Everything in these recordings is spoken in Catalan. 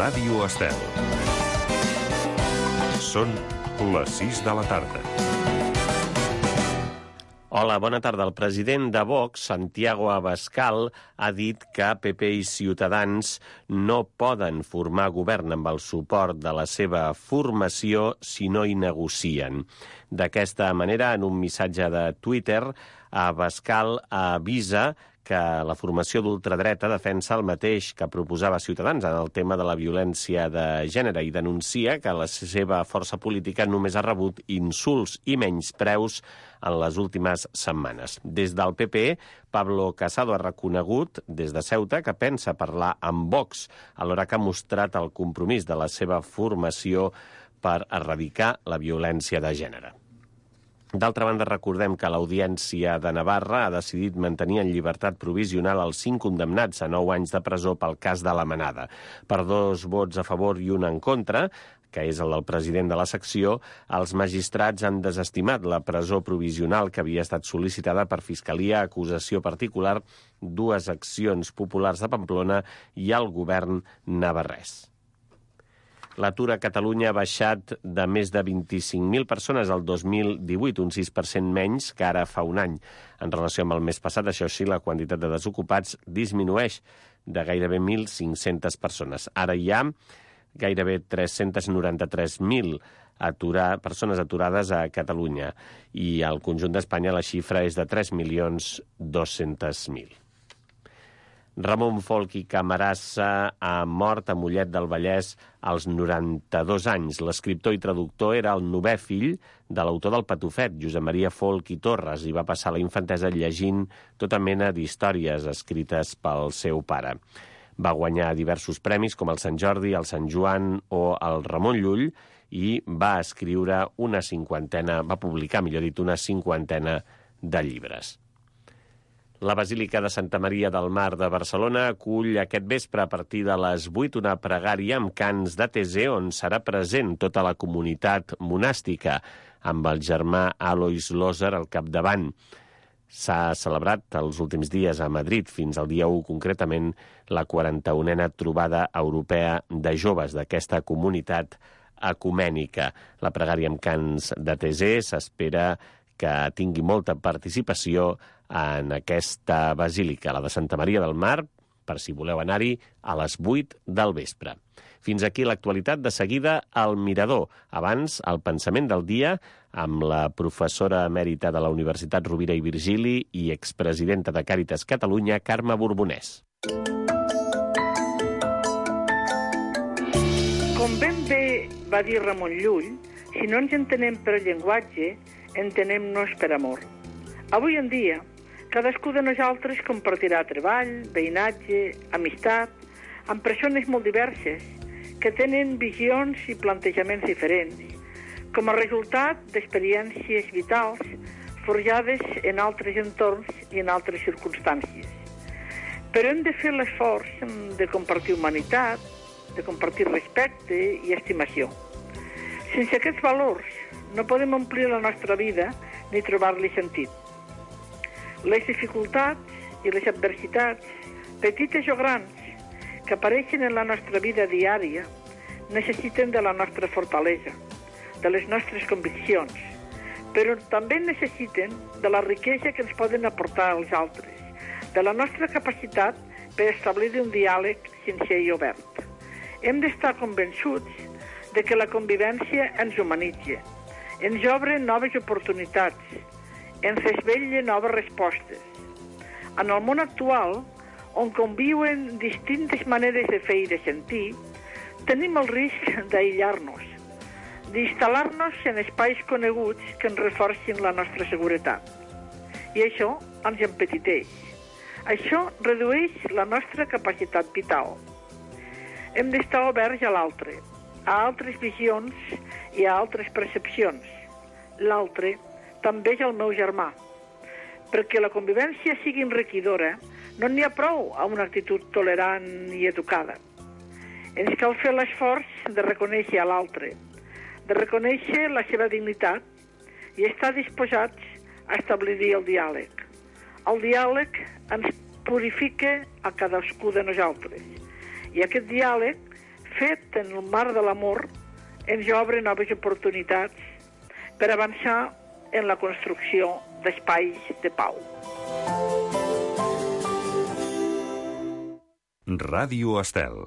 Ràdio Estel. Són les 6 de la tarda. Hola, bona tarda. El president de Vox, Santiago Abascal, ha dit que PP i Ciutadans no poden formar govern amb el suport de la seva formació si no hi negocien. D'aquesta manera, en un missatge de Twitter, Abascal avisa que la formació d'ultradreta defensa el mateix que proposava Ciutadans en el tema de la violència de gènere i denuncia que la seva força política només ha rebut insults i menyspreus en les últimes setmanes. Des del PP, Pablo Casado ha reconegut des de Ceuta que pensa parlar amb Vox, alhora que ha mostrat el compromís de la seva formació per erradicar la violència de gènere. D'altra banda, recordem que l'Audiència de Navarra ha decidit mantenir en llibertat provisional els 5 condemnats a 9 anys de presó pel cas de la Manada. Per 2 vots a favor i 1 en contra, que és el del president de la secció, els magistrats han desestimat la presó provisional que havia estat sol·licitada per Fiscalia, acusació particular, 2 accions populars de Pamplona i el govern navarrès. L'atur a Catalunya ha baixat de més de 25.000 persones al 2018, un 6% menys que ara fa un any. En relació amb el mes passat, això sí, la quantitat de desocupats disminueix de gairebé 1.500 persones. Ara hi ha gairebé 393.000 persones aturades a Catalunya i al conjunt d'Espanya la xifra és de 3.200.000. Ramon Folch i Camarasa ha mort a Mollet del Vallès als 92 anys. L'escriptor i traductor era el 9è fill de l'autor del Patufet, Josep Maria Folch i Torres, i va passar la infantesa llegint tota mena d'històries escrites pel seu pare. Va guanyar diversos premis com el Sant Jordi, el Sant Joan o el Ramon Llull i va publicar una cinquantena de llibres. La Basílica de Santa Maria del Mar de Barcelona acull aquest vespre a partir de les 8 una pregària amb cants de Tesé on serà present tota la comunitat monàstica, amb el germà Alois Loser al capdavant. S'ha celebrat els últims dies a Madrid, fins al dia 1 concretament, la 41a trobada europea de joves d'aquesta comunitat ecumènica. La pregària amb cants de Tesé s'espera que tingui molta participació en aquesta basílica, la de Santa Maria del Mar, per si voleu anar-hi, a les 8 del vespre. Fins aquí l'actualitat. De seguida, al Mirador. Abans, el pensament del dia amb la professora emèrita de la Universitat Rovira i Virgili i expresidenta de Càritas Catalunya, Carme Borbonès. Com ben bé va dir Ramon Llull, si no ens entenem per llenguatge, entenem-nos per amor. Avui en dia, cadascú de nosaltres compartirà treball, veïnatge, amistat, amb persones molt diverses, que tenen visions i plantejaments diferents, com a resultat d'experiències vitals forjades en altres entorns i en altres circumstàncies. Però hem de fer l'esforç de compartir humanitat, de compartir respecte i estimació. Sense aquests valors no podem omplir la nostra vida ni trobar-li sentit. Les dificultats i les adversitats, petites o grans, que apareixen en la nostra vida diària, necessiten de la nostra fortalesa, de les nostres conviccions, però també necessiten de la riquesa que ens poden aportar els altres, de la nostra capacitat per establir un diàleg sincer i obert. Hem d'estar convençuts de que la convivència ens humanitza, ens obre noves oportunitats, ens desvetlla noves respostes. En el món actual, on conviuen distintes maneres de fer i de sentir, tenim el risc d'aïllar-nos, d'instal·lar-nos en espais coneguts que ens reforcin la nostra seguretat. I això ens empetiteix. Això redueix la nostra capacitat vital. Hem d'estar oberts a l'altre, a altres visions i a altres percepcions. L'altre també és el meu germà. Perquè la convivència sigui enriquidora, no n'hi ha prou a una actitud tolerant i educada. Ens cal fer l'esforç de reconèixer a l'altre, de reconèixer la seva dignitat i estar disposats a establir el diàleg. El diàleg ens purifica a cadascú de nosaltres i aquest diàleg fet en el marc de l'amor, ens obre noves oportunitats per avançar en la construcció d'espais de pau. Ràdio Estel.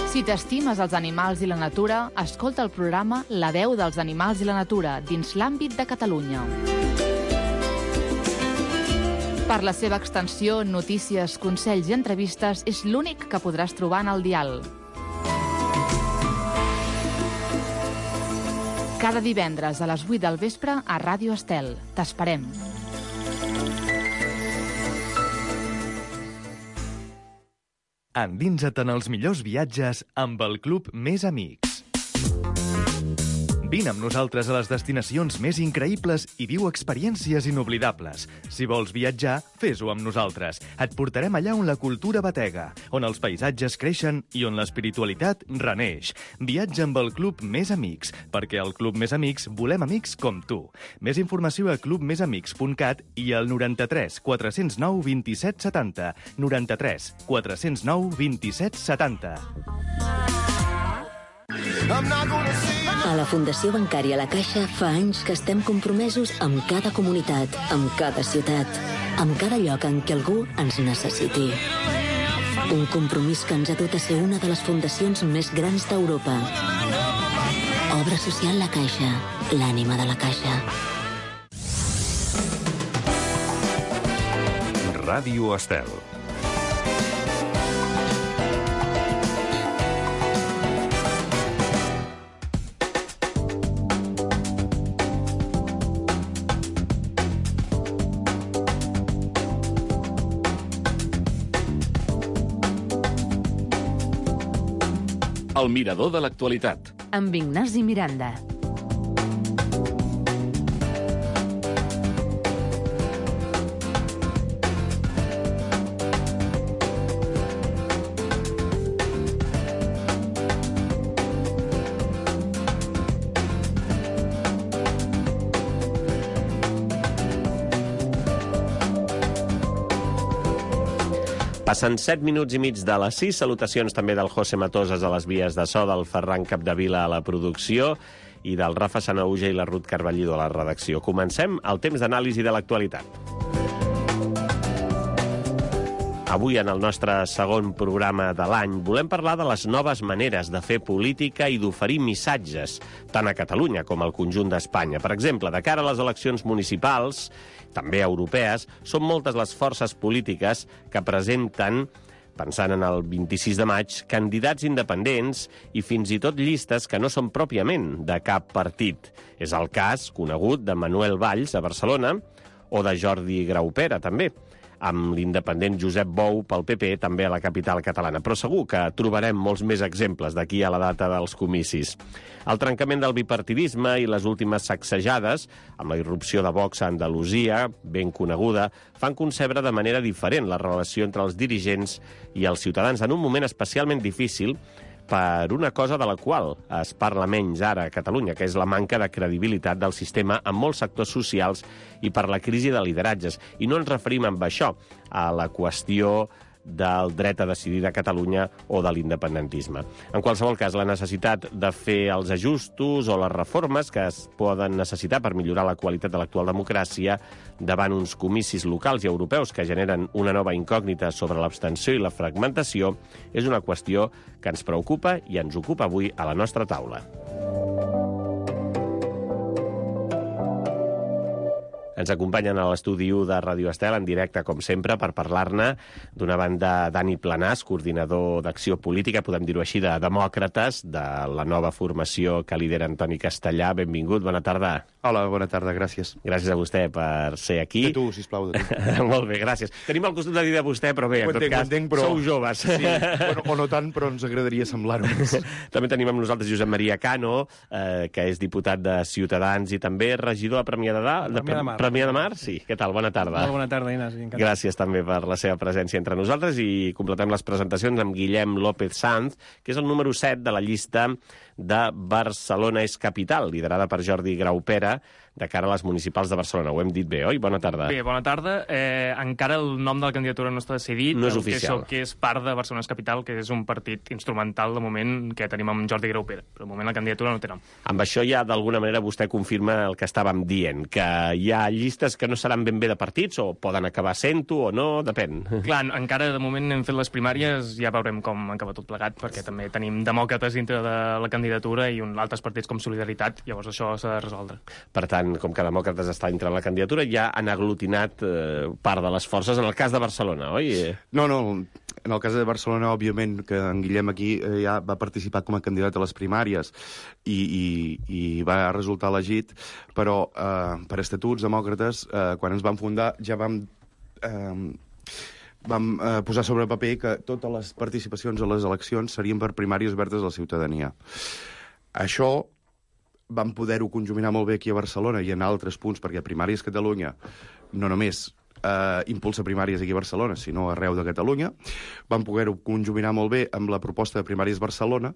Si t'estimes els animals i la natura, escolta el programa La veu dels animals i la natura dins l'àmbit de Catalunya. Per la seva extensió, notícies, consells i entrevistes, és l'únic que podràs trobar en el dial. Cada divendres a les 8 del vespre a Ràdio Estel. T'esperem. Endinsa't en els millors viatges amb el Club Més Amics. Vine amb nosaltres a les destinacions més increïbles i viu experiències inoblidables. Si vols viatjar, fes-ho amb nosaltres. Et portarem allà on la cultura batega, on els paisatges creixen i on l'espiritualitat reneix. Viatja amb el Club Més Amics, perquè al Club Més Amics volem amics com tu. Més informació a clubmesamics.cat i al 93 409 27 70. 93 409 27 70. A la Fundació Bancària La Caixa fa anys que estem compromesos amb cada comunitat, amb cada ciutat, amb cada lloc en què algú ens necessiti. Un compromís que ens ha dut a ser una de les fundacions més grans d'Europa. Obra social La Caixa, l'ànima de la Caixa. Ràdio Estel. El mirador de l'actualitat. Amb Ignasi Miranda. Passen 7 minuts i mig de les 6. Salutacions també del José Matosas a les vies de so, del Ferran Capdevila a la producció i del Rafa Sanaúja i la Ruth Carballido a la redacció. Comencem el temps d'anàlisi de l'actualitat. Avui, en el nostre segon programa de l'any, volem parlar de les noves maneres de fer política i d'oferir missatges, tant a Catalunya com al conjunt d'Espanya. Per exemple, de cara a les eleccions municipals, també europees, són moltes les forces polítiques que presenten, pensant en el 26 de maig, candidats independents i fins i tot llistes que no són pròpiament de cap partit. És el cas conegut de Manuel Valls a Barcelona o de Jordi Graupera, també, amb l'independent Josep Bou pel PP, també a la capital catalana. Però segur que trobarem molts més exemples d'aquí a la data dels comicis. El trencament del bipartidisme i les últimes sacsejades, amb la irrupció de Vox a Andalusia, ben coneguda, fan concebre de manera diferent la relació entre els dirigents i els ciutadans en un moment especialment difícil per una cosa de la qual es parla menys ara a Catalunya, que és la manca de credibilitat del sistema en molts sectors socials i per la crisi de lideratges. I no ens referim amb això a la qüestió del dret a decidir de Catalunya o de l'independentisme. En qualsevol cas, la necessitat de fer els ajustos o les reformes que es poden necessitar per millorar la qualitat de l'actual democràcia davant uns comicis locals i europeus que generen una nova incògnita sobre l'abstenció i la fragmentació és una qüestió que ens preocupa i ens ocupa avui a la nostra taula. Ens acompanyen a l'estudi 1 de Ràdio Estel en directe, com sempre, per parlar-ne. D'una banda, Dani Planàs, coordinador d'Acció Política, podem dir-ho així, de Demòcrates, de la nova formació que lidera Antoni Castellà. Benvingut, bona tarda. Hola, bona tarda, gràcies. Gràcies a vostè per ser aquí. De tu, sisplau, de tu. Molt bé, gràcies. Tenim el costum de dir de vostè, però bé, en tot cas, però... sou joves. Sí, bueno, o no tant, però ens agradaria semblar-ho més. També tenim amb nosaltres Josep Maria Cano, que és diputat de Ciutadans i també regidor a Premià de Mar. Premià de Mar, sí. Què tal? Bona tarda. Molt bona tarda, Ignasi. Encantat. Gràcies també per la seva presència entre nosaltres i completem les presentacions amb Guillem López Sanz, que és el número 7 de la llista de Barcelona és capital, liderada per Jordi Graupera, de cara a les municipals de Barcelona. Ho hem dit bé, oi? Bona tarda. Bé, bona tarda. Encara el nom de la candidatura no està decidit. No és oficial. Que és part de Barcelona és capital, que és un partit instrumental de moment que tenim amb Jordi Graupera. Però de moment la candidatura no té nom. Amb això ja, d'alguna manera, vostè confirma el que estàvem dient, que hi ha llistes que no seran ben bé de partits, o poden acabar sent-ho o no, depèn. Clar, encara de moment hem fet les primàries, ja veurem com acaba tot plegat, perquè també tenim demòcrates dintre de la candidatura i altres partits com Solidaritat, llavors això s'ha de resoldre. Per tant, com que Demòcrates està entrant la candidatura, ja han aglutinat part de les forces, en el cas de Barcelona, oi? No, en el cas de Barcelona, òbviament, que en Guillem aquí ja va participar com a candidat a les primàries i va resultar elegit, però per estatuts demòcrates, quan ens vam fundar, ja vam posar sobre paper que totes les participacions a les eleccions serien per primàries obertes a la ciutadania. Això vam poder-ho conjuminar molt bé aquí a Barcelona i en altres punts, perquè Primàries Catalunya no només impulsa primàries aquí a Barcelona, sinó arreu de Catalunya. Vam poder-ho conjuminar molt bé amb la proposta de Primàries Barcelona,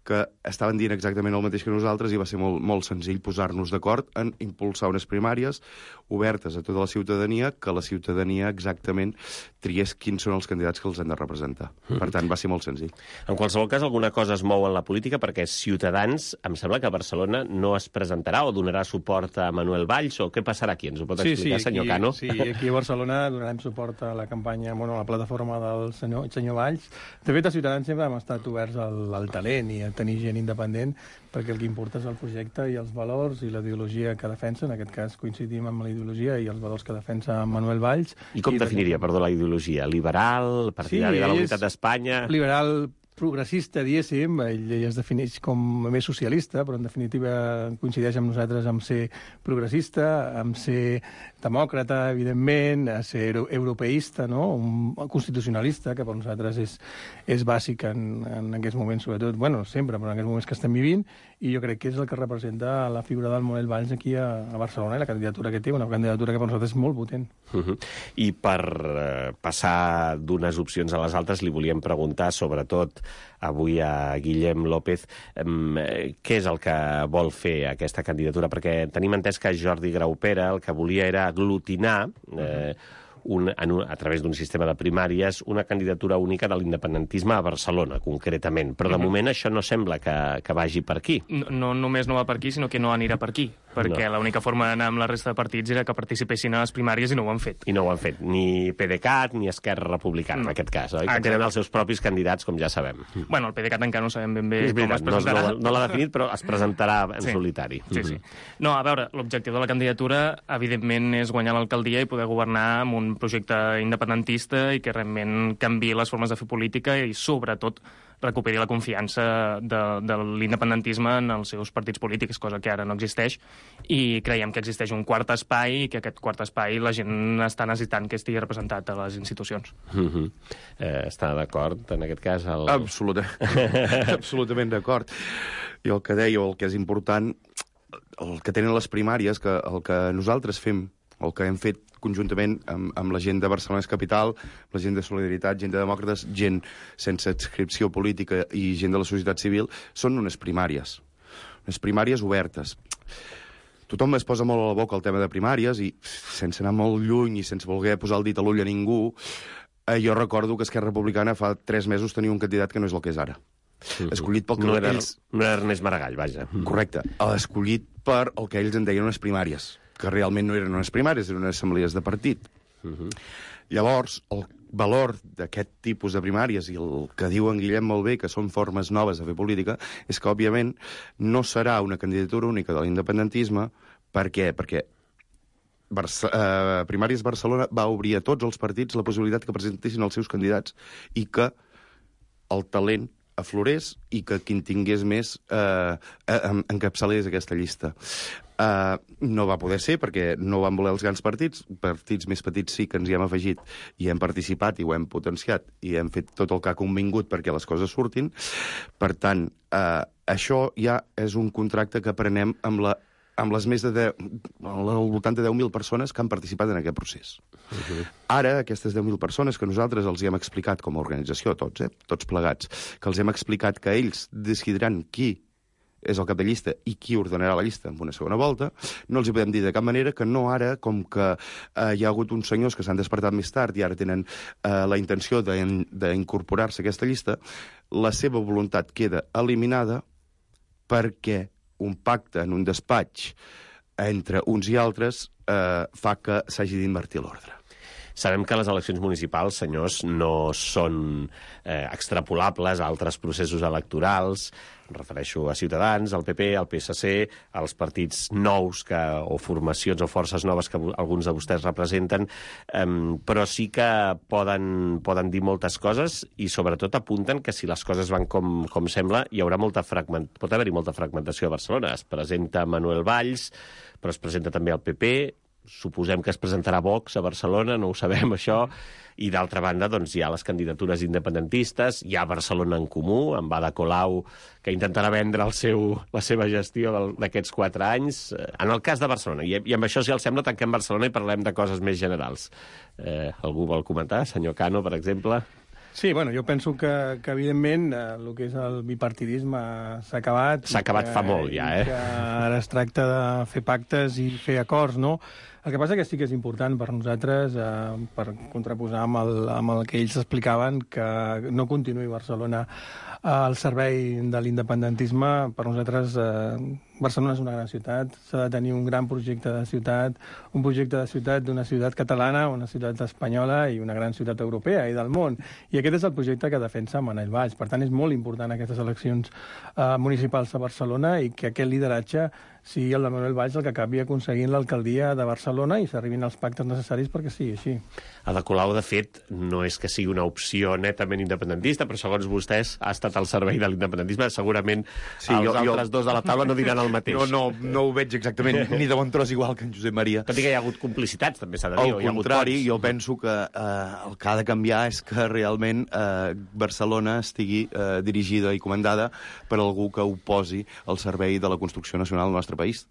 que estaven dient exactament el mateix que nosaltres i va ser molt, molt senzill posar-nos d'acord en impulsar unes primàries obertes a tota la ciutadania, que la ciutadania exactament triés quins són els candidats que els han de representar. Per tant, va ser molt senzill. En qualsevol cas, alguna cosa es mou en la política, perquè Ciutadans, em sembla que a Barcelona no es presentarà o donarà suport a Manuel Valls, o què passarà aquí? Ens ho pot explicar, senyor Cano? Sí, aquí a Barcelona donarem suport a la campanya, a la plataforma del senyor Valls. De fet, a Ciutadans sempre hem estat oberts al talent i a tenir gent independent, perquè el que importa és el projecte i els valors i la ideologia que defensa. En aquest cas coincidim amb la ideologia i els valors que defensa Manuel Valls. I com definiria, perdó, la ideologia? Liberal, partidari de la unitat d'Espanya? Liberal, progressista, diguéssim, ell es defineix com més socialista, però en definitiva coincideix amb nosaltres en ser progressista, en ser demòcrata, evidentment, a ser europeista, no? Un constitucionalista, que per nosaltres és bàsic en aquests moments, sobretot, bueno, sempre, però en aquests moments que estem vivint, i jo crec que és el que representa la figura del Manuel Valls aquí a Barcelona i la candidatura que té, una candidatura que per nosaltres és molt potent. I per passar d'unes opcions a les altres, li volíem preguntar, sobretot avui a Guillem López, què és el que vol fer aquesta candidatura? Perquè tenim entès que Jordi Graupera el que volia era aglutinar a través d'un sistema de primàries una candidatura única de l'independentisme a Barcelona, concretament. Però de moment això no sembla que vagi per aquí. No només no va per aquí, sinó que no anirà per aquí, perquè l'única forma d'anar amb la resta de partits era que participessin a les primàries i no ho han fet. I no ho han fet, ni PDeCAT ni Esquerra Republicana, en aquest cas, oi? Que tenen els seus propis candidats, com ja sabem. Bueno, el PDeCAT encara no sabem ben bé com es presentarà. No l'ha definit, però es presentarà en solitari. Sí. No, a veure, l'objectiu de la candidatura, evidentment, és guanyar l'alcaldia i poder governar amb un projecte independentista i que realment canviï les formes de fer política i, sobretot, recuperi la confiança de l'independentisme en els seus partits polítics, cosa que ara no existeix, i creiem que existeix un quart espai i que aquest quart espai la gent està necessitant que estigui representat a les institucions. Està d'acord en aquest cas? Absolutament d'acord. I el que deia, el que és important, el que tenen les primàries, que el que nosaltres fem, el que hem fet conjuntament amb la gent de Barcelona és capital, la gent de Solidaritat, gent de Demòcrates, gent sense adscripció política i gent de la societat civil, són unes primàries obertes. Tothom es posa molt a la boca el tema de primàries i, sense anar molt lluny i sense voler posar el dit a l'ull a ningú, jo recordo que Esquerra Republicana fa 3 mesos tenia un candidat que no és el que és ara. Escollit pel que no era Ernest Maragall, vaja. Correcte. Escollit per el que ells en deien unes primàries, que realment no eren unes primàries, eren unes assemblees de partit. Llavors, el valor d'aquest tipus de primàries, i el que diu en Guillem molt bé, que són formes noves de fer política, és que, òbviament, no serà una candidatura única de l'independentisme. Per què? Perquè Primàries Barcelona va obrir a tots els partits la possibilitat que presentessin els seus candidats i que el talent aflorés i que qui en tingués més encapçalés aquesta llista. No va poder ser perquè no van voler els grans partits més petits sí que ens hi hem afegit i hem participat i ho hem potenciat i hem fet tot el que ha convingut perquè les coses surtin. Per tant, això ja és un contracte que prenem amb les més de al voltant de 10.000 persones que han participat en aquest procés. Ara, aquestes 10.000 persones que nosaltres els hi hem explicat com a organització, tots plegats, que els hem explicat que ells decidiran qui és el cap de llista i qui ordenarà la llista en una segona volta, no els hi podem dir de cap manera que no ara, com que hi ha hagut uns senyors que s'han despertat més tard i ara tenen la intenció d'incorporar-se a aquesta llista, la seva voluntat queda eliminada perquè un pacte en un despatx entre uns i altres fa que s'hagi d'invertir l'ordre. Sabem que les eleccions municipals, senyors, no són extrapolables a altres processos electorals. Em refereixo a Ciutadans, al PP, al PSC, als partits nous o formacions o forces noves que alguns de vostès representen, però sí que poden dir moltes coses i sobretot apunten que si les coses van com sembla, pot haver-hi molta fragmentació a Barcelona. Es presenta Manuel Valls, però es presenta també el PP, suposem que es presentarà Vox a Barcelona, no ho sabem, això, i d'altra banda doncs, hi ha les candidatures independentistes, hi ha Barcelona en Comú, amb Ada Colau, que intentarà vendre la seva gestió d'aquests 4 anys. En el cas de Barcelona, i amb això, si els sembla, tanquem Barcelona i parlem de coses més generals. Algú vol comentar? Senyor Cano, per exemple? Sí, bueno, jo penso que evidentment, el que és el bipartidisme s'ha acabat. S'ha acabat fa molt, ja, Que ara es tracta de fer pactes i fer acords, no? El que passa que sí que és important per nosaltres, per contraposar amb el que ells explicaven, que no continuï Barcelona al servei de l'independentisme. Per nosaltres, Barcelona és una gran ciutat, s'ha de tenir un gran projecte de ciutat, un projecte de ciutat d'una ciutat catalana, una ciutat espanyola i una gran ciutat europea i del món. I aquest és el projecte que defensa Manuel Valls. Per tant, és molt important aquestes eleccions municipals a Barcelona i que aquest lideratge sigui el de Manuel Valls el que acabi aconseguint l'alcaldia de Barcelona i s'arribin als pactes necessaris perquè sigui així. Ada Colau, de fet, no és que sigui una opció netament independentista, però segons vostès ha estat al servei de l'independentisme. Segurament els altres dos de la taula no diran el mateix. No ho veig exactament ni de bon tros igual que en Josep Maria. Tot i que hi ha hagut complicitats, també s'ha de dir. Al contrari, jo penso que el que ha de canviar és que realment Barcelona estigui dirigida i comandada per algú que ho posi al servei de la construcció nacional del nostre país,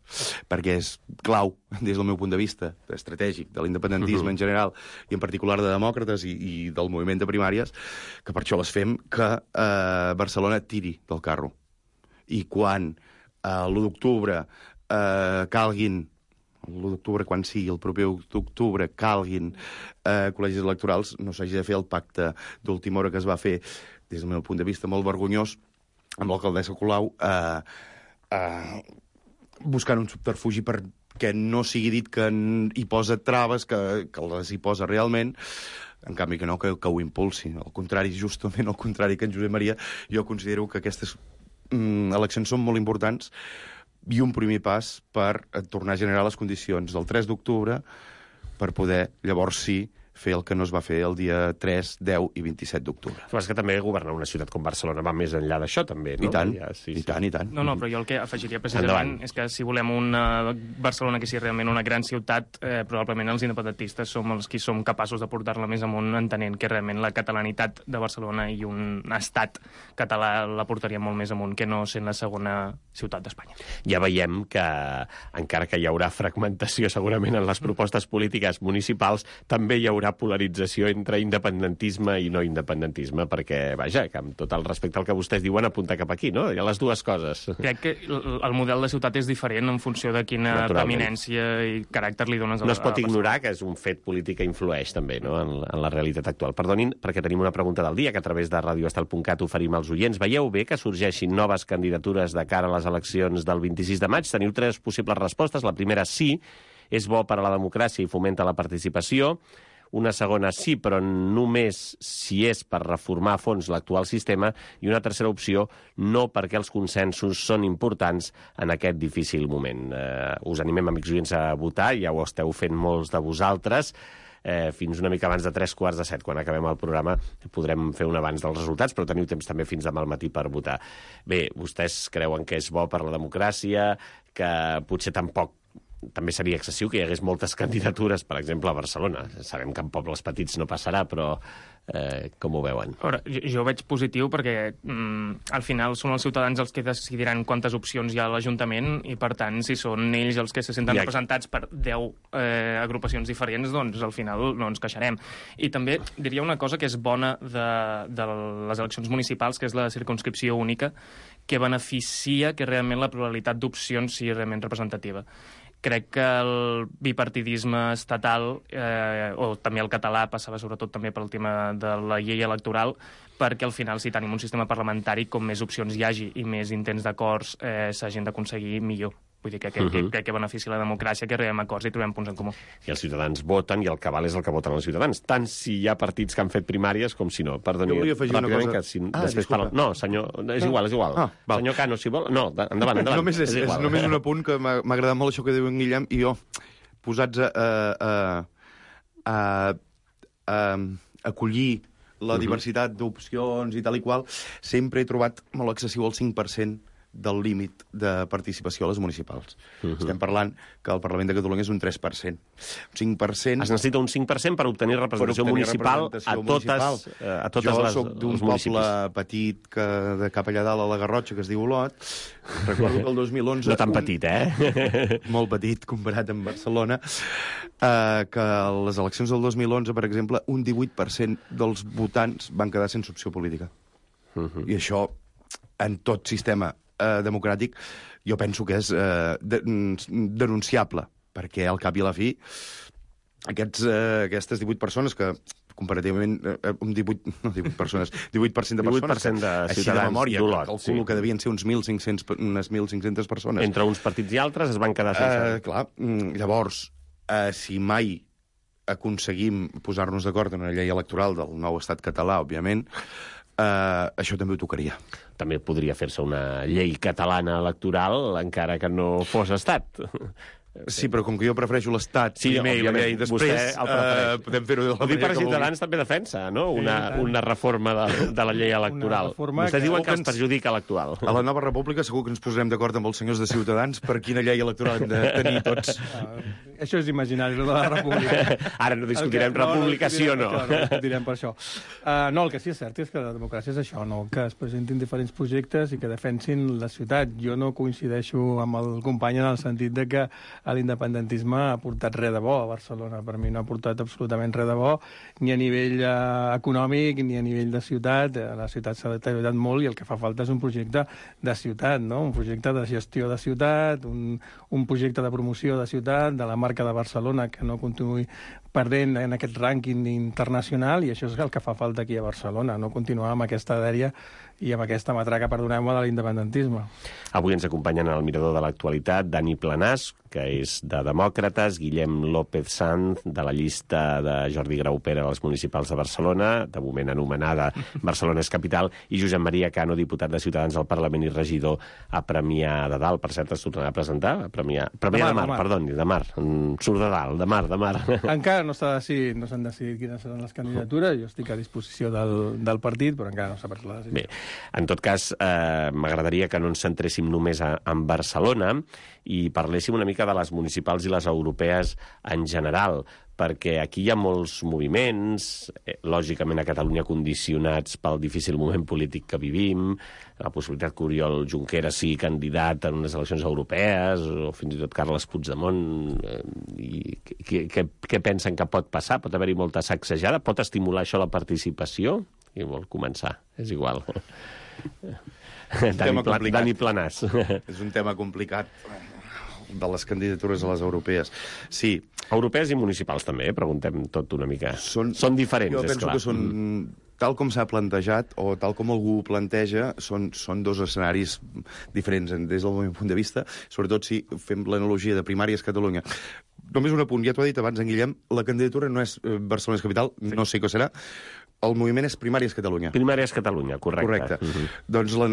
perquè és clau, des del meu punt de vista estratègic, de l'independentisme en general, i en particular de demòcrates i del moviment de primàries, que per això les fem, que Barcelona tiri del carro. I quan l'1 d'octubre calguin, l'1 d'octubre, quan sigui el proper 1 d'octubre, calguin col·legis electorals, no s'hagi de fer el pacte d'última hora que es va fer, des del meu punt de vista, molt vergonyós, amb l'alcaldessa Colau, buscant un subterfugi perquè no sigui dit que hi posa traves, que les hi posa realment, en canvi que no, que ho impulsi. Al contrari, justament al contrari que en Josep Maria, jo considero que aquestes eleccions són molt importants i un primer pas per tornar a generar les condicions del 3 d'octubre per poder, llavors sí, fer el que no es va fer el dia 3, 10 i 27 d'octubre. Però és que també governar una ciutat com Barcelona va més enllà d'això, també, no? I tant, sí. I tant. No, però jo el que afegiria precisament és que si volem una Barcelona que sigui realment una gran ciutat, probablement els independentistes som els qui som capaços de portar-la més amunt, entenent que realment la catalanitat de Barcelona i un estat català la portaria molt més amunt que no sent la segona ciutat d'Espanya. Ja veiem que, encara que hi haurà fragmentació segurament en les propostes polítiques municipals, també hi haurà polarització entre independentisme i no independentisme, perquè, vaja, que amb tot el respecte al que vostès diuen apunta cap aquí, no? Hi ha les dues coses. Crec que el model de ciutat és diferent en funció de quina preeminència i caràcter li dones a la No es pot ignorar que és un fet polític que influeix també, no?, en la realitat actual. Perdonin, perquè tenim una pregunta del dia que a través de radioestel.cat oferim als oients. Veieu bé que sorgeixin noves candidatures de cara a les eleccions del 26 de maig? Teniu 3 possibles respostes. La primera, sí, és bo per a la democràcia i fomenta la participació. Una segona, sí, però només si és per reformar a fons l'actual sistema. I una tercera opció, no, perquè els consensos són importants en aquest difícil moment. Us animem, amics oients, a votar, ja ho esteu fent molts de vosaltres. Fins una mica abans de 7:15, quan acabem el programa, podrem fer un avanç dels resultats, però teniu temps també fins demà al matí per votar. Bé, vostès creuen que és bo per la democràcia, que potser tampoc també seria excessiu que hi hagués moltes candidatures, per exemple, a Barcelona. Sabem que en pobles petits no passarà, però com ho veuen? Ara, jo ho veig positiu perquè al final són els ciutadans els que decidiran quantes opcions hi ha a l'Ajuntament i, per tant, si són ells els que se senten representats per 10 agrupacions diferents, doncs al final no ens queixarem. I també diria una cosa que és bona de les eleccions municipals, que és la circumscripció única, que beneficia que realment la pluralitat d'opcions sigui realment representativa. Crec que el bipartidisme estatal, o també el català, passava sobretot també pel tema de la llei electoral, perquè al final, si tenim un sistema parlamentari, com més opcions hi hagi i més intents d'acords s'hagin d'aconseguir, millor. Vull dir que crec que beneficia la democràcia, que arribem a acords i trobem punts en comú. I els ciutadans voten, i el que val és el que voten els ciutadans, tant si hi ha partits que han fet primàries com si no. Perdoni, jo volia afegir una cosa. Que si després parla... No, senyor, és igual. Senyor Cano, si vol... No, endavant. Només un apunt, que m'ha agradat molt això que diu en Guillem, i jo, posats a acollir la diversitat d'opcions i tal i qual, sempre he trobat molt excessiu el 5% del límit de participació a les municipals. Estem parlant que el Parlament de Catalunya és un 3%. Un 5%... Es necessita un 5% per obtenir representació municipal a totes les Jo soc d'un poble petit de cap allà dalt a la Garrotxa, que es diu Olot. Recordo que el 2011... No tan petit, Molt petit, comparat amb Barcelona. Que a les eleccions del 2011, per exemple, un 18% dels votants van quedar sense opció política. I això, en tot sistema democràtic, jo penso que és denunciable, perquè al cap i a la fi aquestes 18 persones que comparativament, 18% de persones, 18% de així de memòria, calculo que devien ser unes 1.500 persones. Entre uns partits i altres es van quedar sense... Clar, llavors, si mai aconseguim posar-nos d'acord en una llei electoral del nou estat català, òbviament, això també ho tocaria. També podria fer-se una llei catalana electoral, encara que no fos estat. Sí, però com que jo prefereixo l'Estat primer i la llei després, podem fer-ho de la manera que Ciutadans també defensa, no? Una reforma de la llei electoral. Vostès diuen que ens perjudica l'actual. A la nova república segur que ens posarem d'acord amb els senyors de Ciutadans per quina llei electoral hem de tenir tots. Això és imaginari, de la república. Ara no discutirem república, sí o no. No discutirem per això. No, el que sí és cert és que la democràcia és això, no? Que es presentin diferents projectes i que defensin la ciutat. Jo no coincideixo amb el company en el sentit de que l'independentisme ha portat res de bo a Barcelona. Per mi no ha portat absolutament res de bo, ni a nivell econòmic, ni a nivell de ciutat. La ciutat s'ha deteriorat molt i el que fa falta és un projecte de ciutat, no? Un projecte de gestió de ciutat, un projecte de promoció de ciutat, de la marca de Barcelona, que no continuï perdent en aquest rànquing internacional, i això és el que fa falta aquí a Barcelona, no continuar amb aquesta dèria i amb aquesta matraca, perdoneu-me, de l'independentisme. Avui ens acompanyen al Mirador de l'Actualitat Dani Planàs, que és de Demòcrates, Guillem López Sanz, de la llista de Jordi Graupera a les municipals de Barcelona, de moment anomenada Barcelona és capital, i Josep Maria Cano, diputat de Ciutadans al Parlament i regidor a Premià de Dalt. Per cert, es tornarà a presentar? Premià de Mar, perdoni, de Mar. Surt de Dalt, de Mar. Encara no s'han decidit quines seran les candidatures. Jo estic a disposició del partit, però encara no s'ha pres la decisió. Bé, en tot cas, m'agradaria que no ens centréssim només en Barcelona i parléssim una mica de les municipals i les europees en general, perquè aquí hi ha molts moviments, lògicament a Catalunya condicionats pel difícil moment polític que vivim, la possibilitat que Oriol Junqueras sigui candidat en unes eleccions europees, o fins i tot Carles Puigdemont. Què pensen que pot passar? Pot haver-hi molta sacsejada? Pot estimular això la participació? Qui vol començar? És igual. Dani Planàs. És un tema complicat de les candidatures a les europees. Sí. Europees i municipals també, preguntem tot una mica. Són diferents, és clar. Jo penso que són, tal com s'ha plantejat, o tal com algú ho planteja, són dos escenaris diferents des del meu punt de vista, sobretot si fem l'analogia de primàries Catalunya. Només un apunt, ja t'ho ha dit abans en Guillem, la candidatura no és Barcelona és capital, no sé què serà, el moviment és Primàries Catalunya. Primàries Catalunya, correcte. Doncs la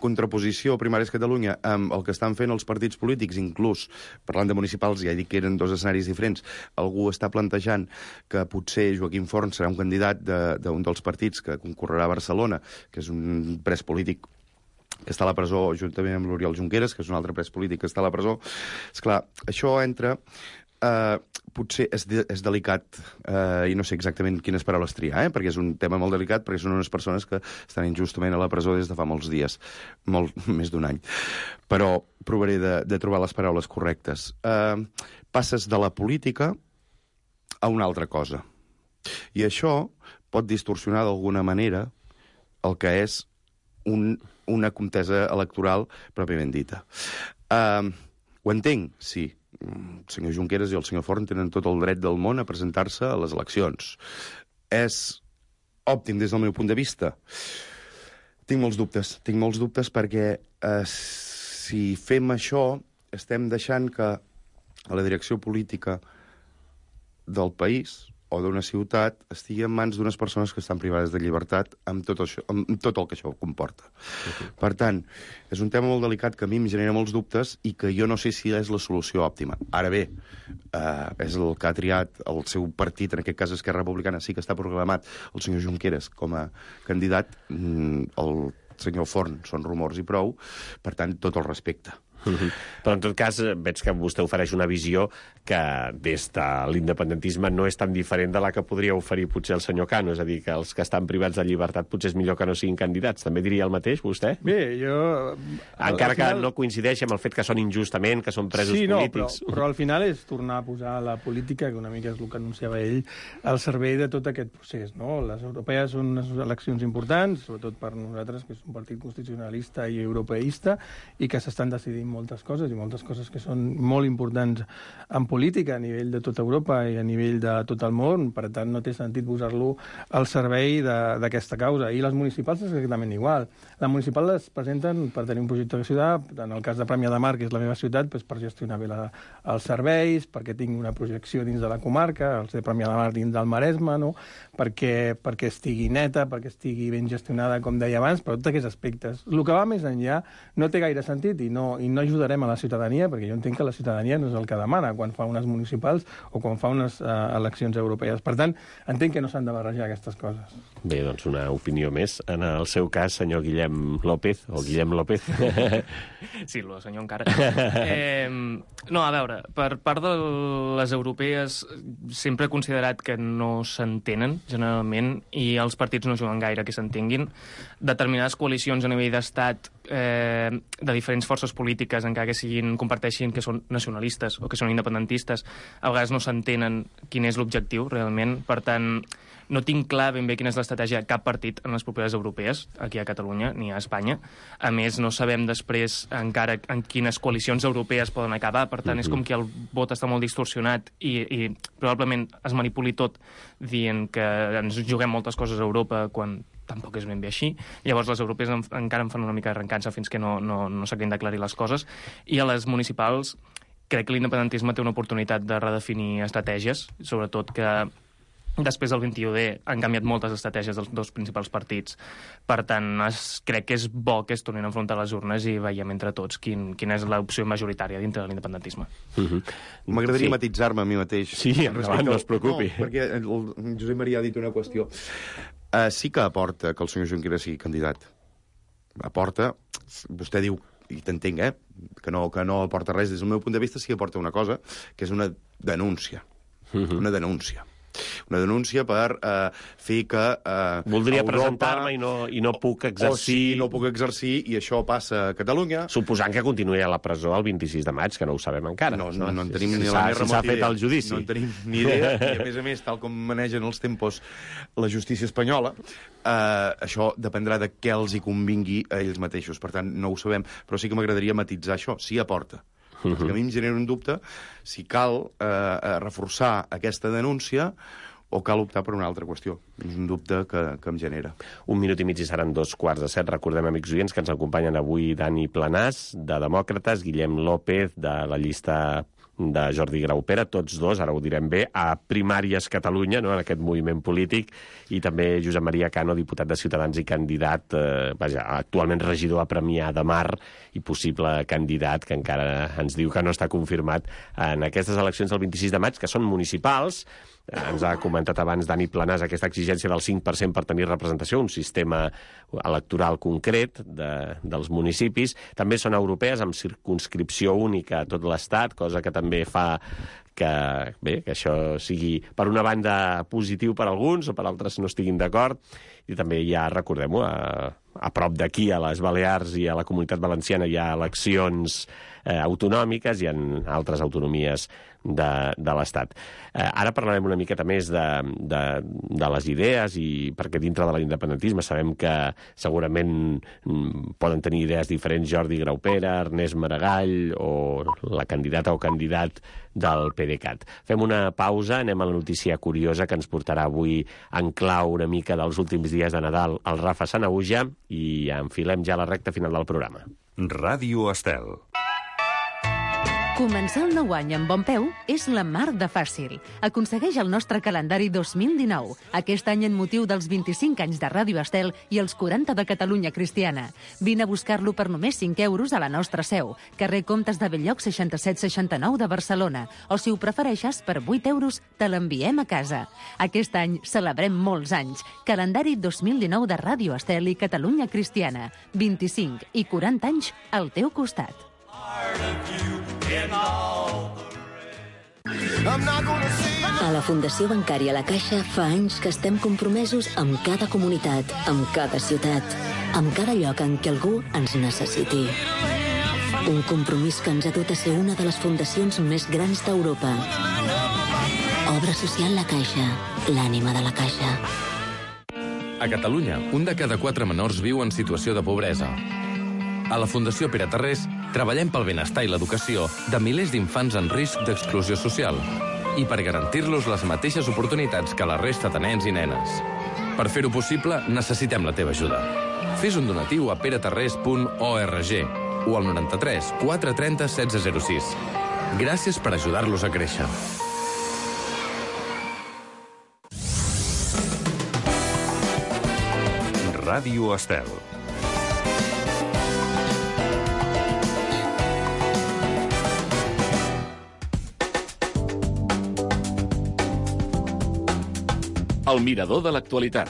contraposició Primàries Catalunya amb el que estan fent els partits polítics, inclús, parlant de municipals, ja he dit que eren dos escenaris diferents, algú està plantejant que potser Joaquim Forn serà un candidat d'un dels partits que concorrerà a Barcelona, que és un pres polític que està a la presó, juntament amb l'Oriol Junqueras, que és un altre pres polític que està a la presó. Esclar, això entra... potser és delicat i no sé exactament quines paraules triar, perquè és un tema molt delicat, perquè són unes persones que estan injustament a la presó des de fa molts dies, més d'un any. Però provaré de trobar les paraules correctes. Passes de la política a una altra cosa. I això pot distorsionar d'alguna manera el que és una contesa electoral pròpiament dita. Ho entenc, sí. El senyor Junqueras i el senyor Forn tenen tot el dret del món a presentar-se a les eleccions. És òptim des del meu punt de vista? Tinc molts dubtes perquè si fem això estem deixant que la direcció política del país o d'una ciutat estigui en mans d'unes persones que estan privades de llibertat amb tot el que això comporta. Per tant, és un tema molt delicat que a mi em genera molts dubtes i que jo no sé si és la solució òptima. Ara bé, és el que ha triat el seu partit, en aquest cas Esquerra Republicana, sí que està proclamat el senyor Junqueras com a candidat, el senyor Forn són rumors i prou, per tant, tot el respecte. Però en tot cas veig que vostè ofereix una visió que des de l'independentisme no és tan diferent de la que podria oferir potser el senyor Cano, és a dir, que els que estan privats de llibertat potser és millor que no siguin candidats. També diria el mateix, vostè? Bé, jo... Encara que no coincideixi amb el fet que són injustament, que són presos polítics. Però al final és tornar a posar la política, que una mica és el que anunciava ell, al servei de tot aquest procés, no? Les europees són unes eleccions importants, sobretot per nosaltres, que és un partit constitucionalista i europeista, i que s'estan decidint moltes coses que són molt importants en política a nivell de tota Europa i a nivell de tot el món, per tant no té sentit posar-lo al servei d'aquesta causa. I les municipals és exactament igual. Les municipals les presenten per tenir un projecte de ciutat, en el cas de Premià de Mar, que és la meva ciutat, per gestionar bé els serveis, perquè tinc una projecció dins de la comarca, els de Premià de Mar dins del Maresme, no? perquè estigui neta, perquè estigui ben gestionada, com deia abans, per tots aquests aspectes. El que va més enllà no té gaire sentit i no ajudarem a la ciutadania, perquè jo entenc que la ciutadania no és el que demana quan fa unes municipals o quan fa unes eleccions europees. Per tant, entenc que no s'han de barrejar aquestes coses. Bé, doncs una opinió més. En el seu cas, senyor Guillem López, o Guillem López. Sí, el senyor encara. No, a veure, per part de les europees sempre he considerat que no s'entenen, generalment, i els partits no juguen gaire que s'entenguin. Determinades coalicions a nivell d'estat de diferents forces polítiques, encara que comparteixin que són nacionalistes o que són independentistes, a vegades no s'entenen quin és l'objectiu realment. Per tant, no tinc clar ben bé quina és l'estratègia de cap partit en les properes europees, aquí a Catalunya ni a Espanya. A més, no sabem després encara en quines coalicions europees poden acabar, per tant, és com que el vot està molt distorsionat i probablement es manipuli tot dient que ens juguem moltes coses a Europa quan tampoc és ben bé així. Llavors les europees encara em fan una mica de recança fins que no s'acabin d'aclarir les coses. I a les municipals crec que l'independentisme té una oportunitat de redefinir estratègies, sobretot que després del 21D han canviat moltes estratègies dels dos principals partits. Per tant, crec que és bo que es tornin a enfrontar les urnes i veiem entre tots quina és l'opció majoritària dintre de l'independentisme. M'agradaria matitzar-me a mi mateix. Sí, endavant, no es preocupi. No, perquè el Josep Maria ha dit una qüestió. Sí que aporta que el senyor Junqueras sigui candidat. Aporta, vostè diu, i t'entenc, que no aporta res. Des del meu punt de vista sí que aporta una cosa, que és una denúncia. Una denúncia. Una denúncia per fer que voldria presentar-me i no puc exercir... O sí, no puc exercir, i això passa a Catalunya. Suposant que continuï a la presó el 26 de maig, que no ho sabem encara. No en tenim ni la més remota idea. S'ha fet el judici. No en tenim ni idea, i a més, tal com manegen els tempos la justícia espanyola, això dependrà de què els hi convingui a ells mateixos. Per tant, no ho sabem, però sí que m'agradaria matitzar això. Sí aporta. Perquè a mi em genera un dubte si cal reforçar aquesta denúncia o cal optar per una altra qüestió. És un dubte que em genera. 1 minut i mig i seran 2:15. Recordem, amics oients, que ens acompanyen avui Dani Planàs, de Demòcrates, Guillem López, de la llista de Jordi Graupera, tots dos, ara ho direm bé, a Primàries Catalunya, no?, en aquest moviment polític, i també Josep Maria Cano, diputat de Ciutadans i candidat, actualment regidor a Premià de Mar i possible candidat, que encara ens diu que no està confirmat en aquestes eleccions del 26 de maig, que són municipals. ens ha comentat abans Dani Planàs aquesta exigència del 5% per tenir representació, un sistema electoral concret dels municipis. També són europees, amb circumscripció única a tot l'Estat, cosa que també fa que això sigui, per una banda, positiu per alguns o per altres no estiguin d'acord. I també ja, recordem-ho, a prop d'aquí, a les Balears i a la Comunitat Valenciana, hi ha eleccions autonòmiques i en altres autonomies de l'Estat. Ara parlarem una miqueta més de les idees, i perquè dintre de l'independentisme sabem que segurament poden tenir idees diferents Jordi Graupera, Ernest Maragall o la candidata o candidat del PDeCAT. Fem una pausa, anem a la notícia curiosa que ens portarà avui en clau una mica dels últims dies de Nadal el Rafa Sanahuja, i enfilem ja la recta final del programa. Ràdio Estel. Començar el nou any amb bon peu és la mar de fàcil. Aconsegueix el nostre calendari 2019, aquest any en motiu dels 25 anys de Ràdio Estel i els 40 de Catalunya Cristiana. Vine a buscar-lo per només 5 euros a la nostra seu, carrer Comtes de Belllloc 6769 de Barcelona, o si ho prefereixes, per 8 euros te l'enviem a casa. Aquest any celebrem molts anys. Calendari 2019 de Ràdio Estel i Catalunya Cristiana. 25 i 40 anys al teu costat. A la Fundació Bancària La Caixa fa anys que estem compromesos amb cada comunitat, amb cada ciutat, amb cada lloc en què algú ens necessiti. Un compromís que ens ha dut a ser una de les fundacions més grans d'Europa. Obra social La Caixa, l'ànima de la Caixa. A Catalunya, un de cada 4 menors viu en situació de pobresa. A la Fundació Pere Tarrés treballem pel benestar i l'educació de milers d'infants en risc d'exclusió social i per garantir-los les mateixes oportunitats que la resta de nens i nenes. Per fer-ho possible, necessitem la teva ajuda. Fes un donatiu a peretarrés.org o al 93 430 1606. Gràcies per ajudar-los a créixer. Ràdio Estel. El mirador de l'actualitat.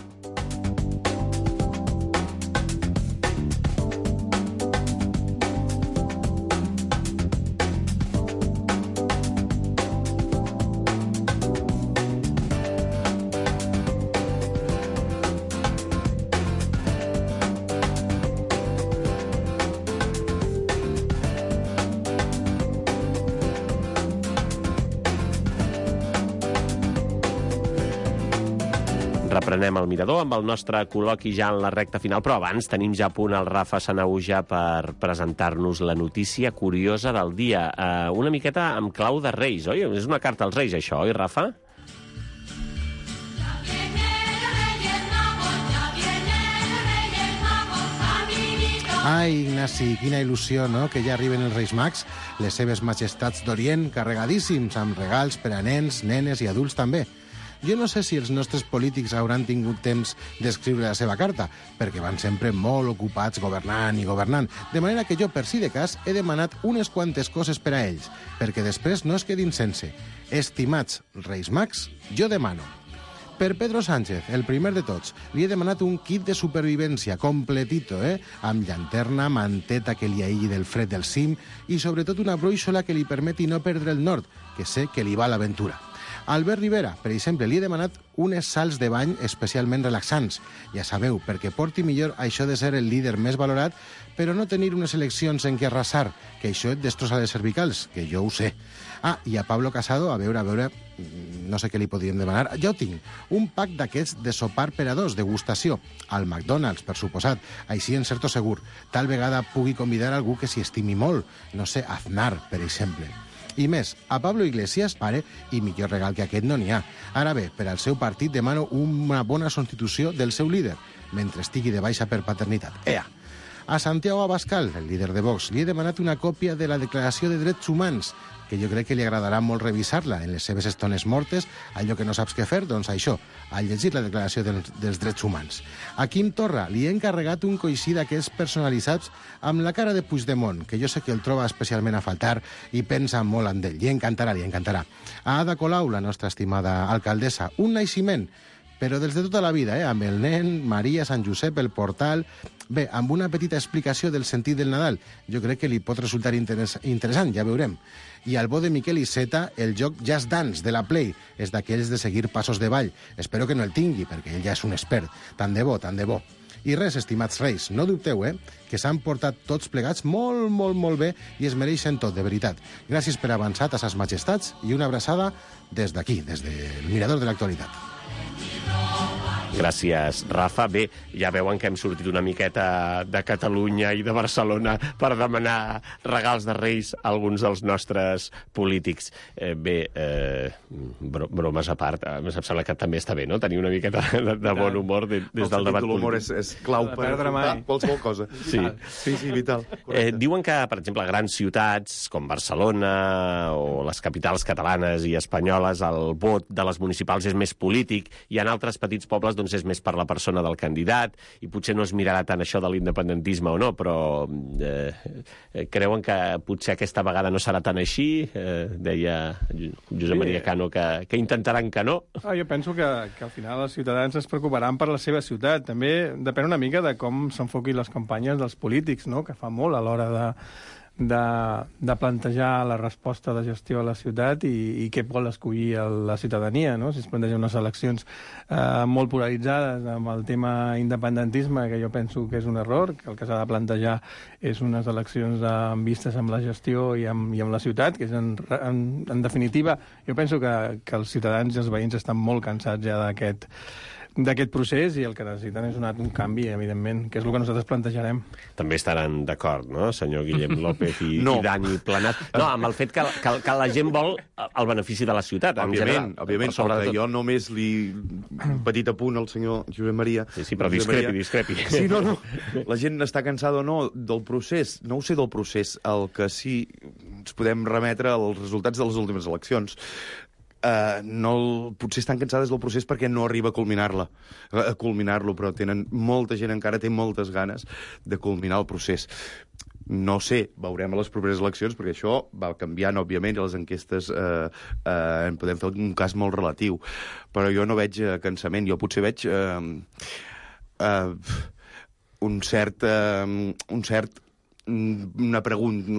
Reprenem el mirador amb el nostre col·loqui ja en la recta final, però abans tenim ja a punt el Rafa Sanahuja per presentar-nos la notícia curiosa del dia. Una miqueta amb clau de Reis, oi? És una carta als Reis, això, oi, Rafa? Ai, Ignasi, quina il·lusió, no?, que ja arriben els Reis Mags, les seves majestats d'Orient, carregadíssims, amb regals per a nens, nenes i adults també. Jo no sé si els nostres polítics hauran tingut temps d'escriure la seva carta, perquè van sempre molt ocupats governant i governant, de manera que jo, per si de cas, he demanat unes quantes coses per a ells, perquè després no es quedin sense. Estimats Reis Mags, jo demano. Per Pedro Sánchez, el primer de tots, li he demanat un kit de supervivència completito, amb llanterna, manteta que li aïlli del fred del cim i sobretot una brúixola que li permeti no perdre el nord, que sé que li va a l'aventura. Albert Rivera, per exemple, li he demanat unes sals de bany especialment relaxants. Ja sabeu, perquè porti millor això de ser el líder més valorat, però no tenir unes eleccions en què arrasar, que això et destrossa les cervicals, que jo ho sé. I a Pablo Casado, a veure, no sé què li podríem demanar. Ja ho tinc, un pack d'aquests de sopar per a dos, degustació, al McDonald's, per suposat, així en certo segur. Tal vegada pugui convidar algú que s'hi estimi molt, no sé, Aznar, per exemple. I més, a Pablo Iglesias, pare, i millor regal que aquest no n'hi ha. Ara bé, per al seu partit demano una bona substitució del seu líder, mentre estigui de baixa per paternitat. A Santiago Abascal, el líder de Vox, li he demanat una còpia de la Declaració de Drets Humans, que jo crec que li agradarà molt revisar-la en les seves estones mortes, allò que no saps què fer, doncs això, al llegir la Declaració dels Drets Humans. A Quim Torra li he encarregat un coixí d'aquests personalitzats amb la cara de Puigdemont, que jo sé que el troba especialment a faltar i pensa molt en ell. Li encantarà, li encantarà. A Ada Colau, la nostra estimada alcaldessa, un naixement, però des de tota la vida, amb el nen, Maria, Sant Josep, el portal... Bé, amb una petita explicació del sentit del Nadal. Jo crec que li pot resultar interessant, ja veurem. I al bo de Miquel Iceta, el joc Just Dance de la Play és d'aquells de seguir passos de ball. Espero que no el tingui, perquè ell ja és un expert. Tant de bo, tant de bo. I res, estimats reis, no dubteu, que s'han portat tots plegats molt, molt, molt bé i es mereixen tot, de veritat. Gràcies per avançat a ses majestats i una abraçada des d'aquí, des del Mirador de l'Actualitat. Gràcies, Rafa. Bé, ja veuen que hem sortit una miqueta de Catalunya i de Barcelona per demanar regals de Reis a alguns dels nostres polítics. Bromes a part, em sembla que també està bé, no?, tenir una miqueta de bon humor des del debat polític. L'humor és clau per afrontar qualsevol cosa. Sí, vital. Diuen que, per exemple, a grans ciutats com Barcelona o les capitals catalanes i espanyoles, el vot de les municipals és més polític, i en altres petits pobles doncs és més per la persona del candidat, i potser no es mirarà tant això de l'independentisme o no, però creuen que potser aquesta vegada no serà tan així? Deia Josep Maria Cano que intentaran que no. Jo penso que al final els ciutadans es preocuparan per la seva ciutat. També depèn una mica de com s'enfoquin les campanyes dels polítics, no?, que fa molt a l'hora de plantejar la resposta de gestió a la ciutat i què vol escollir la ciutadania, no? Si es plantegen unes eleccions molt polaritzades amb el tema independentisme, que jo penso que és un error, que el que s'ha de plantejar és unes eleccions amb vistes amb la gestió i amb la ciutat, que és en definitiva, jo penso que els ciutadans i els veïns estan molt cansats ja d'aquest procés, i el que necessiten és un canvi, evidentment, que és el que nosaltres plantejarem. També estaran d'acord, no?, senyor Guillem López i Dani Planat. No, amb el fet que la gent vol el benefici de la ciutat. Òbviament, perquè jo només un petit apunt al senyor Josep Maria. Sí, però discrepi. Sí, no. La gent està cansada o no del procés. No ho sé del procés. El que sí ens podem remetre als resultats de les últimes eleccions. Potser estan cansades del procés perquè no arriba a culminar-lo, però molta gent encara té moltes ganes de culminar el procés. No sé, veurem a les properes eleccions, perquè això va canviant, òbviament, i les enquestes en podem fer un cas molt relatiu. Però jo no veig cansament, jo potser veig una pregunta.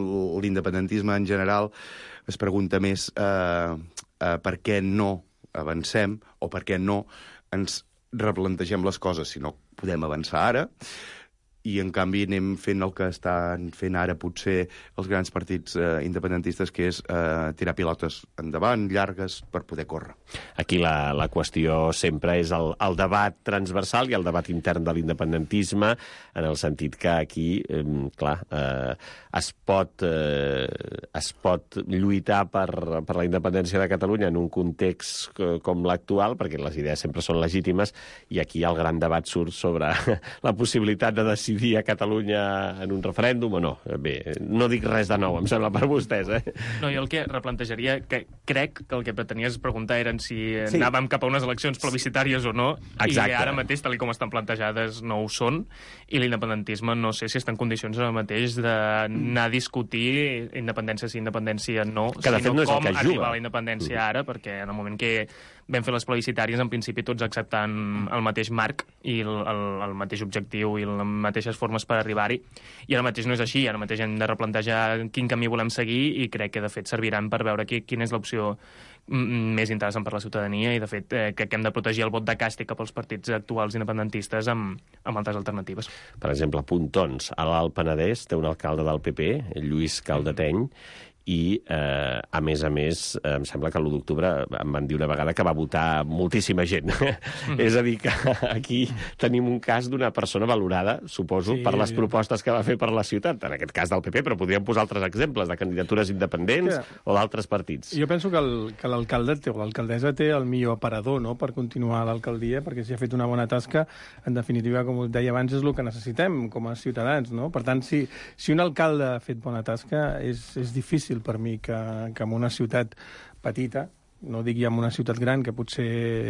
L'independentisme en general es pregunta més per què no avancem o per què no ens replantegem les coses si no podem avançar ara, i en canvi anem fent el que estan fent ara potser els grans partits independentistes, que és tirar pilotes endavant, llargues, per poder córrer. Aquí la qüestió sempre és el debat transversal i el debat intern de l'independentisme, en el sentit que aquí, clar, es pot lluitar per la independència de Catalunya en un context com l'actual, perquè les idees sempre són legítimes, i aquí el gran debat surt sobre la possibilitat de decidir a Catalunya en un referèndum o no. Bé, no dic res de nou, em sembla, per vostès, No, jo el que replantejaria, que crec que el que pretenies preguntar eren si anàvem cap a unes eleccions plebiscitàries o no. Exacte. I ara mateix, tal com estan plantejades, no ho són, i l'independentisme no sé si està en condicions ara mateix d'anar a discutir independència sí, independència no, que de fet no és com el que arribar a la independència ara, perquè en el moment que vam fer les plebiscitàries, en principi tots acceptant el mateix marc i el mateix objectiu i les mateixes formes per arribar-hi, i ara mateix no és així. Ara mateix hem de replantejar quin camí volem seguir, i crec que de fet serviran per veure quina és l'opció més interessant per la ciutadania, i de fet crec que hem de protegir el vot de càstig cap als partits actuals independentistes amb altres alternatives. Per exemple, Pontons, a l'Alt Penedès, té un alcalde del PP, Lluís Caldeteny, i, a més, em sembla que l'1 d'octubre em van dir una vegada que va votar moltíssima gent. És a dir, que aquí tenim un cas d'una persona valorada, suposo, per les propostes que va fer per la ciutat, en aquest cas del PP, però podríem posar altres exemples de candidatures independents o d'altres partits. Jo penso que l'alcalde o l'alcaldessa té el millor aparador, no?, per continuar a l'alcaldia, perquè si ha fet una bona tasca, en definitiva, com us deia abans, és el que necessitem com a ciutadans, no? Per tant, si un alcalde ha fet bona tasca, és difícil per mi que en una ciutat petita, no dic ja en una ciutat gran, que potser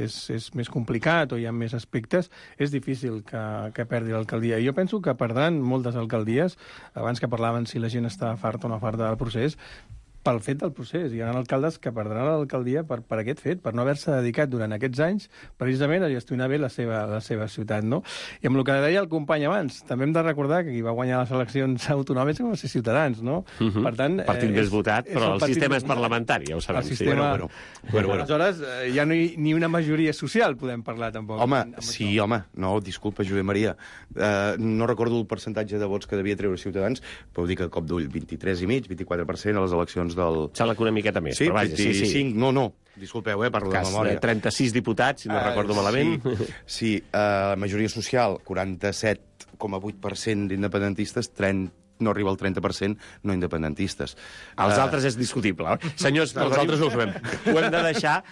és més complicat o hi ha més aspectes, és difícil que perdi l'alcaldia. I jo penso que perdran moltes alcaldies, abans que parlaven si la gent està farta o no farta del procés, pel fet del procés. Hi ha alcaldes que perdran l'alcaldia per aquest fet, per no haver-se dedicat durant aquests anys precisament a gestionar bé la seva ciutat, no? I amb el que deia el company abans, també hem de recordar que qui va guanyar les eleccions autonòmiques va ser Ciutadans, no? Per tant, partit més votat, però el sistema és parlamentari, ja ho sabem. El sistema... Bueno. Aleshores, ja no ni una majoria social podem parlar, tampoc. Home, sí, home. No, disculpa, Josep Maria. No recordo el percentatge de vots que devia treure Ciutadans, però dic a cop d'ull, 23,5, 24% a les eleccions del... Sembla que una miqueta més, sí, però vaja, 25, sí. No, disculpeu, parlo de memòria. 36 diputats, si no recordo malament. Sí, majoria social, 47,8% d'independentistes, no arriba al 30% no independentistes. Els altres és discutible. Senyors, nosaltres ho sabem. Ho hem de deixar